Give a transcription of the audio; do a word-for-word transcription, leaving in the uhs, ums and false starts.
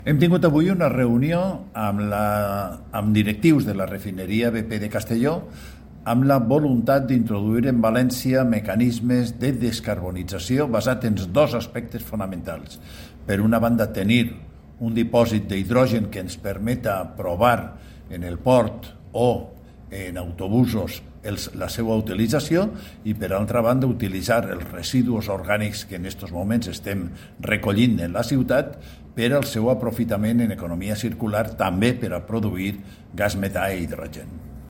Hem tingut avui una reunió amb, la, amb directius de la refineria B P de Castelló amb la voluntat d'introduir en València mecanismes de descarbonització basats en dos aspectes fonamentals. Per una banda, tenir un dipòsit d'hidrogen que ens permeta provar en el port o en autobusos els, la seva utilització i, per altra banda, utilitzar els residus orgànics que en aquests moments estem recollint en la ciutat per al seu aprofitament en economia circular, també per a produir gas metà i hidrogen.